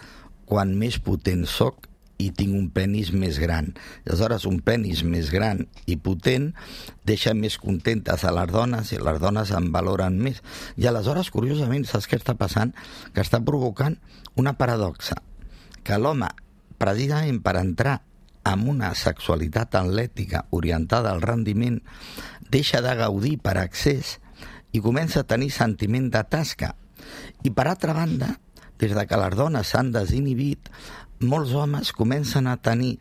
quan més potent sóc i tinc un penis més gran. Aleshores, un penis més gran i potent deixa més contentes a les dones i les dones en valoren més. I aleshores, curiosament, saps què està passant? Que està provocant una paradoxa. Que l'home, precisament per entrar en una sexualitat atlètica orientada al rendiment, deixa de gaudir per excés i comença a tenir sentiment de tasca. I per altra banda, des de que les dones s'han desinhibit, molts homes comencen a tenir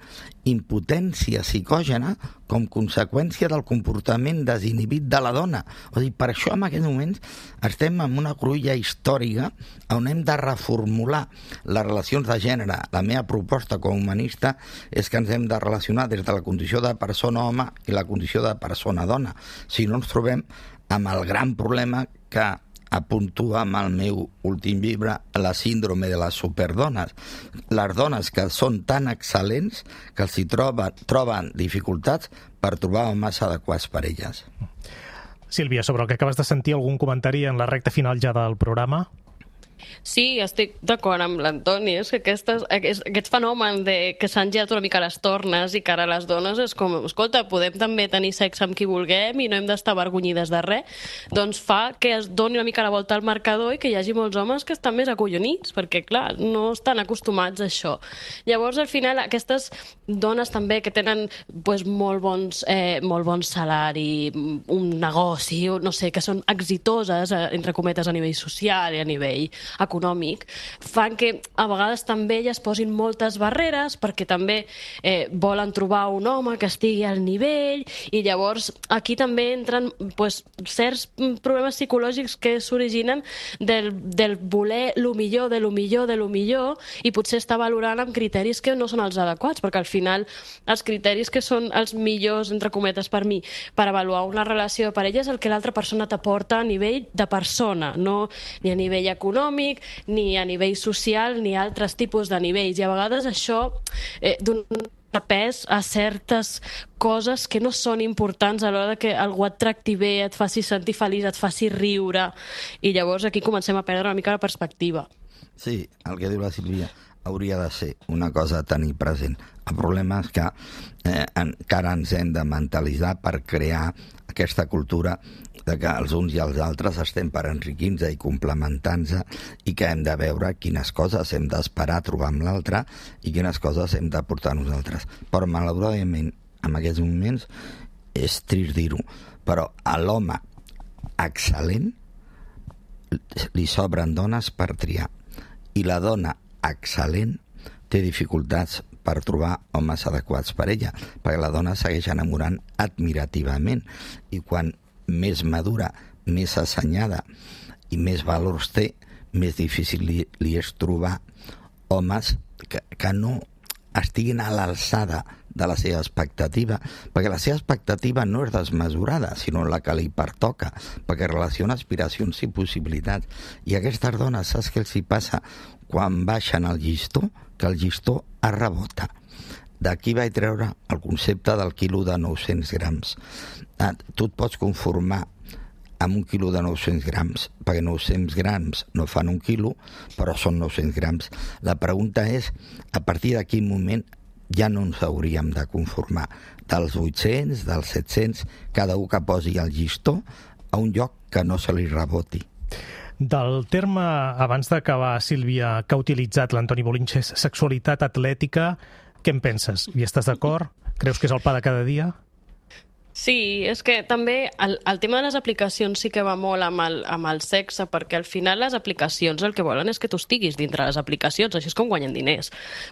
impotència psicògena com conseqüència del comportament desinhibit de la dona. O sigui, per això en aquests moments estem en una cruïlla històrica on hem de reformular les relacions de gènere. La meva proposta com a humanista és que ens hem de relacionar des de la condició de persona home i la condició de persona dona. Si no ens trobem amb el gran problema que apuntua amb el meu últim llibre, la síndrome de les superdones. Les dones que són tan excel·lents que els hi troben, troben dificultats per trobar homes adequats per elles. Sílvia, sobre el que acabes de sentir, algun comentari en la recta final ja del programa? Sí, estic d'acord amb l'Antoni. És que aquestes, aquest, aquest fenomen de que s'han girat una mica les tornes i que ara les dones és com, escolta, podem també tenir sexe amb qui vulguem i no hem d'estar avergonyides de res, doncs fa que es doni una mica la volta al marcador i que hi hagi molts homes que estan més acollonits, perquè, clar, no estan acostumats a això. Llavors, al final, aquestes dones també que tenen pues, molt, bons, eh, molt bon salari, un negoci, no sé, que són exitoses, entre cometes, a nivell social i a nivell econòmic, fan que a vegades també elles posin moltes barreres perquè també eh, volen trobar un home que estigui al nivell, i llavors aquí també entren pues, certs problemes psicològics que s'originen del, del voler lo millor, de lo millor, de lo millor, i potser estar valorant amb criteris que no són els adequats, perquè al final els criteris que són els millors, entre cometes, per mi, per avaluar una relació de parella és el que l'altra persona t'aporta a nivell de persona, no ni a nivell econòmic, ni a nivell social, ni a altres tipus de nivells. I a vegades això eh, dona pes a certes coses que no són importants a l'hora que algú et tracti bé, et faci sentir feliç, et faci riure. I llavors aquí comencem a perdre una mica la perspectiva. Sí, el que diu la Sílvia hauria de ser una cosa a tenir present. El problema és que eh, encara ens hem de mentalitzar per crear aquesta cultura de que els uns i els altres estem per enriquir-nos i complementar-nos i que hem de veure quines coses hem d'esperar a trobar amb l'altre i quines coses hem de portar nosaltres. Però, malauradament, en aquests moments és trist dir-ho, però l'home excel·lent, li sobren dones per triar. I la dona excel·lent té dificultats per trobar homes adequats per ella, perquè la dona segueix enamorant admirativament, i quan més madura, més assenyada i més valors té, més difícil li, li és trobar homes que, que no estiguin a l'alçada de la seva expectativa, perquè la seva expectativa no és desmesurada, sinó la que li pertoca, perquè relaciona aspiracions i possibilitats. I aquestes dones, saps què els hi passa quan baixen el llistó? Que el llistó es rebota. D'aquí vaig treure el concepte del quilo de nou-cents grams. Ah, tu et pots conformar amb un quilo de nou-cents grams, perquè nou-cents grams no fan un quilo, però són nou-cents grams. La pregunta és, a partir de quin moment ja no ens hauríem de conformar? Dels vuit-cents, dels set-cents, cada un que posi el llistó a un lloc que no se li reboti. Del terme, abans d'acabar, Sílvia, que ha utilitzat l'Antoni Bolinches, sexualitat atlètica, què en penses? Hi estàs d'acord? Creus que és el pa de cada dia? Sí, és que també el, el tema de les aplicacions sí que va molt amb el, amb el sexe, perquè al final les aplicacions el que volen és que tu estiguis dintre les aplicacions, així és com guanyen diners.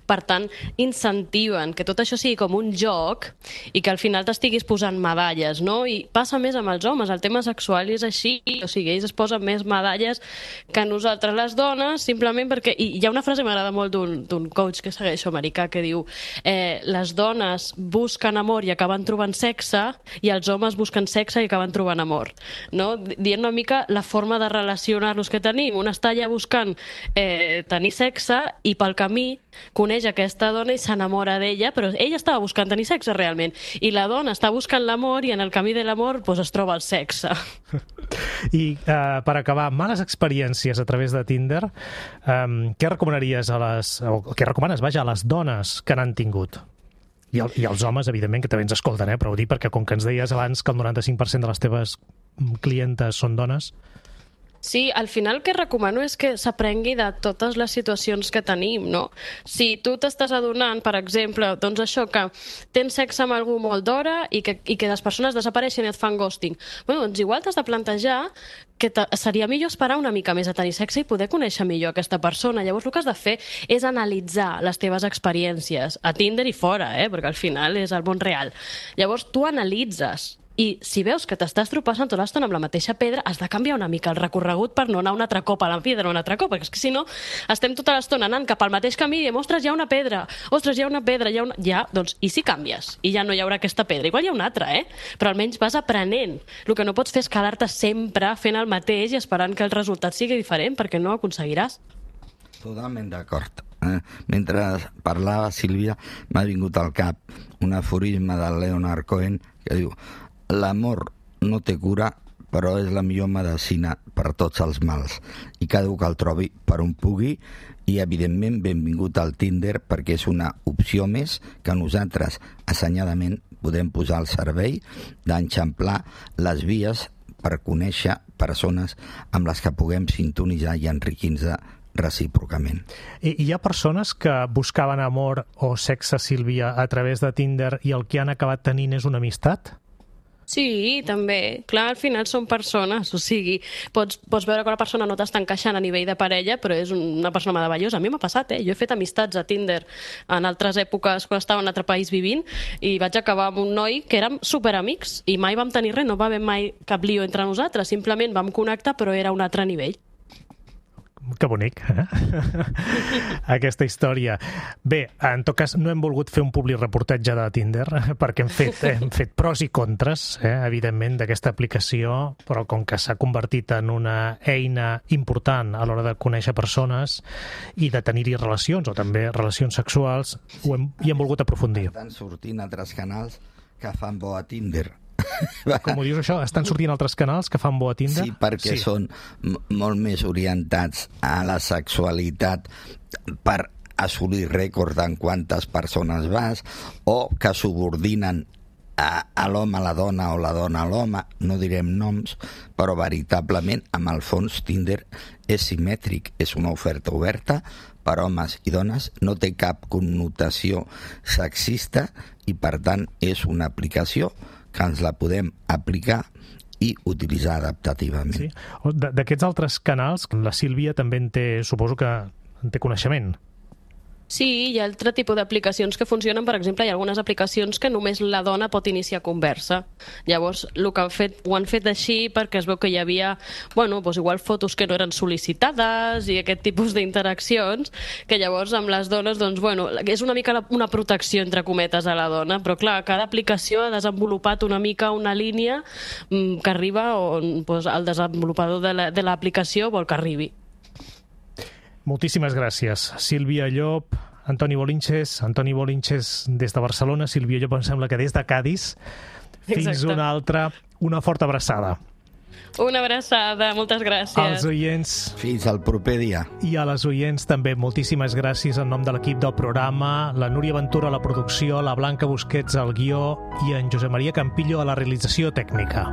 Per tant, incentiven que tot això sigui com un joc i que al final t'estiguis posant medalles, no? I passa més amb els homes, el tema sexual és així, o sigui, ells es posen més medalles que nosaltres les dones, simplement perquè... I hi ha una frase que m'agrada molt d'un coach que segueixo americà que diu eh, les dones busquen amor i acaben trobant sexe, i els homes busquen sexe i acaben trobant amor, no? Dient una mica la forma de relacionar-nos que tenim. Un està allà buscant eh, tenir sexe i pel camí coneix aquesta dona i s'enamora d'ella, però ella estava buscant tenir sexe realment, i la dona està buscant l'amor i en el camí de l'amor pues, es troba el sexe. I eh, per acabar, males experiències a través de Tinder, eh, què recomanaries a les... o què recomanes, vaja, a les dones que n'han tingut? I, el, I els homes, evidentment, que també ens escolten, eh? Però ho dic perquè, com que ens deies abans que el noranta-cinc per cent de les teves clientes són dones... Sí, al final el que recomano és que s'aprengui de totes les situacions que tenim, no? Si tu t'estàs adonant, per exemple, doncs això, que tens sexe amb algú molt d'hora i que, i que les persones desapareixen i et fan ghosting, bueno, doncs igual t'has de plantejar que seria millor esperar una mica més a tenir sexe i poder conèixer millor aquesta persona. Llavors el que has de fer és analitzar les teves experiències a Tinder i fora, eh? Perquè al final és el món real. Llavors tu analitzes i si veus que t'estàs tropassant tota l'estona amb la mateixa pedra, has de canviar una mica el recorregut per no anar un altre cop a la pedra, un altre cop, perquè és que si no estem tota l'estona anant cap al mateix camí i diem, ostres, hi ha una pedra, ostres, hi ha una pedra, hi ha una... Ja, doncs, i si canvies? I ja no hi haurà aquesta pedra. Igual hi ha una altra, eh? Però almenys vas aprenent. El que no pots fer és quedar-te sempre fent el mateix i esperant que el resultat sigui diferent, perquè no ho aconseguiràs. Totalment d'acord. Eh? Mentre parlava, Sílvia, m'ha vingut al cap un aforisme del Leonard Cohen que diu: l'amor no té cura, però és la millor medicina per tots els mals. I cada un que el trobi per on pugui, i evidentment benvingut al Tinder, perquè és una opció més que nosaltres assenyadament podem posar al servei d'enxamplar les vies per conèixer persones amb les que puguem sintonitzar i enriquir-nos recíprocament. I hi ha persones que buscaven amor o sexe, Sílvia, a través de Tinder i el que han acabat tenint és una amistat? Sí, també. Clar, al final són persones, o sigui, pots, pots veure que una persona no t'està encaixant a nivell de parella, però és una persona meravellosa. A mi m'ha passat, eh? Jo he fet amistats a Tinder en altres èpoques quan estava en un altre país vivint i vaig acabar amb un noi que érem superamics i mai vam tenir res, no va haver mai cap lío entre nosaltres, simplement vam connectar, però era un altre nivell. Que bonic, eh? Aquesta història. Bé, en tot cas, no hem volgut fer un public reportatge de Tinder, perquè hem fet, eh, hem fet pros i contres, eh, evidentment, d'aquesta aplicació, però com que s'ha convertit en una eina important a l'hora de conèixer persones i de tenir-hi relacions, o també relacions sexuals, ho hem, hi hem volgut aprofundir. Estan sortint altres canals que fan bo a Tinder. Com ho dius això? Estan sortint altres canals que fan bo a Tinder? Sí, perquè sí. Són molt més orientats a la sexualitat per assolir rècords en quantes persones vas, o que subordinen a, a l'home a la dona o la dona a l'home, no direm noms, però veritablement, amb el fons, Tinder és simètric, és una oferta oberta per homes i dones, no té cap connotació sexista i, per tant, és una aplicació que ens la podem aplicar i utilitzar adaptativament. Sí. D'aquests altres canals, la Sílvia també en té, suposo que en té coneixement. Sí, hi ha altre tipus d'aplicacions que funcionen. Per exemple, hi ha algunes aplicacions que només la dona pot iniciar conversa. Llavors, el que han fet, ho han fet així perquè es veu que hi havia, bueno, doncs igual fotos que no eren sol·licitades i aquest tipus d'interaccions, que llavors amb les dones, doncs, bueno, és una mica una protecció, entre cometes, a la dona, però clar, cada aplicació ha desenvolupat una mica una línia que arriba on doncs, el desenvolupador de l'aplicació vol que arribi. Moltíssimes gràcies. Sílvia Llop, Antoni Bolinches, Antoni Bolinches des de Barcelona, Sílvia Llop em sembla que des de Cadis. Fins Exacte. Una altra, una forta abraçada. Una abraçada, moltes gràcies. Als oients... Fins al proper dia. I a les oients també, moltíssimes gràcies en nom de l'equip del programa, la Núria Ventura a la producció, la Blanca Busquets al guió i en Josep Maria Campillo a la realització tècnica.